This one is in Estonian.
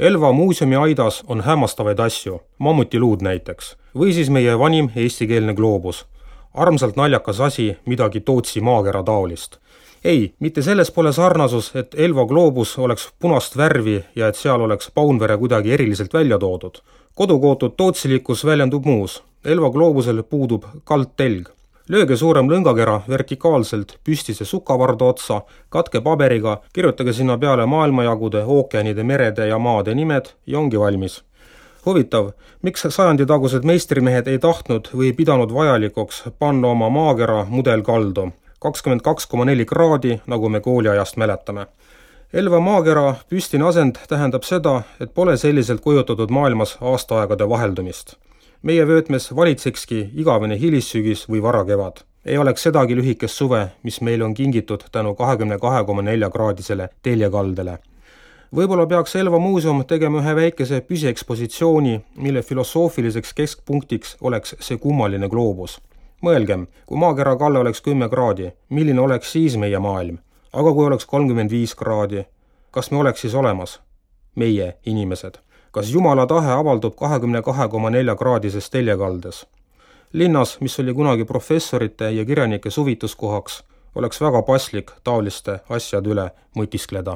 Elva muuseumi aidas on hämmastavaid asju, mammutiluud näiteks, või siis meie vanim eestikeelne gloobus. Armsalt naljakas asi, midagi Tootsi maakera taolist. Ei, mitte selles pole sarnasus, et Elva gloobus oleks punast värvi ja et seal oleks Paunvere kuidagi eriliselt välja toodud. Kodukootud tootsilikkus väljendub muus. Elva gloobusel puudub kaldtelg. Lööge suurem lõngakera vertikaalselt püstise sukavarda otsa, katke paberiga, kirjutage sinna peale maailmajagude, ookeanide, merede ja maade nimed ja ongi valmis. Huvitav, miks sajanditagused meistrimehed ei tahtnud või pidanud vajalikuks panna oma maakera mudelkaldu? 22,4 kraadi, nagu me kooliajast mäletame. Elva maakera püstine asend tähendab seda, et pole selliselt kujutatud maailmas aastaaegade vaheldumist. Meie vöötmes valitsekski igavene hilissügis või varakevad. Ei oleks sedagi lühikest suve, mis meil on kingitud tänu 22,4 kraadisele teljekaldele. Võib-olla peaks Elva muuseum tegema ühe väikese püsiekspositsiooni, mille filosoofiliseks keskpunktiks oleks see kummaline gloobus. Mõelgem, kui maakera kalle oleks 10 kraadi, milline oleks siis meie maailm? Aga kui oleks 35 kraadi, kas me oleks siis olemas? Meie inimesed. Kas Jumala tahe avaldub 22,4 kraadises teljekaldes? Linnas, mis oli kunagi professorite ja kirjanike suvituskohaks, oleks väga paslik taoliste asjade üle mõtiskleda.